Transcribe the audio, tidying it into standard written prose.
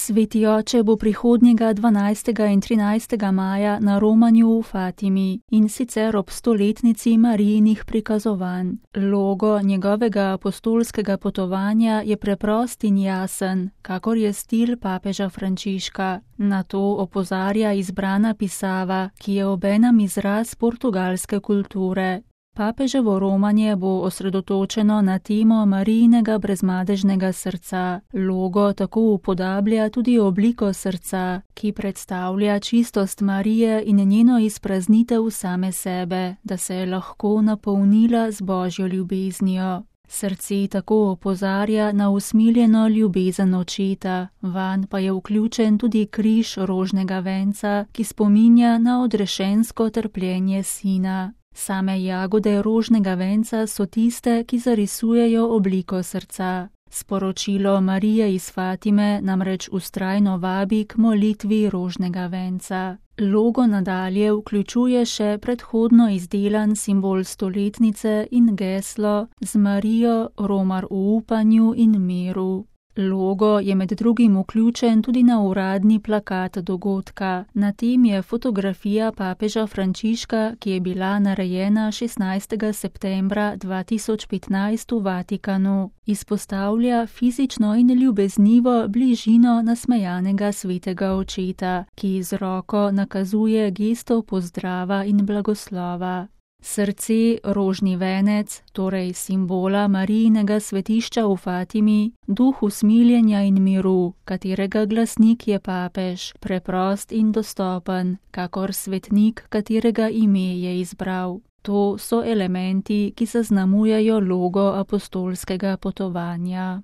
Sveti oče bo prihodnjega 12. in 13. maja na romanju v Fatimi, in sicer ob 100-letnici Marijinih prikazovanj. Logo njegovega apostolskega potovanja je preprost in jasen, kakor je stil papeža Frančiška. Na to opozarja izbrana pisava, ki je obenem izraz portugalske kulture. Papeževo romanje bo osredotočeno na temo Marijinega brezmadežnega srca. Logo tako upodablja tudi obliko srca, ki predstavlja čistost Marije in njeno izpraznitev same sebe, da se je lahko napolnila z Božjo ljubeznijo. Srce tako opozarja na usmiljeno ljubezen očeta, vanj pa je vključen tudi križ rožnega venca, ki spominja na odrešensko trpljenje sina. Same jagode rožnega venca so tiste, ki zarisujejo obliko srca. Sporočilo Marije iz Fatime namreč vztrajno vabi k molitvi rožnega venca. Logo nadalje vključuje še predhodno izdelan simbol stoletnice in geslo z Marijo romar v upanju in miru. Logo je med drugim vključen tudi na uradni plakat dogodka. Na tem je fotografija papeža Frančiška, ki je bila narejena 16. septembra 2015 v Vatikanu. Izpostavlja fizično in ljubeznivo bližino nasmejanega svetega očeta, ki z roko nakazuje gesto pozdrava in blagoslova. Srce, rožni venec, torej simbola Marijinega svetišča v Fatimi, duh usmiljenja in miru, katerega glasnik je papež, preprost in dostopen, kakor svetnik, katerega ime je izbral. To so elementi, ki zaznamujejo logo apostolskega potovanja.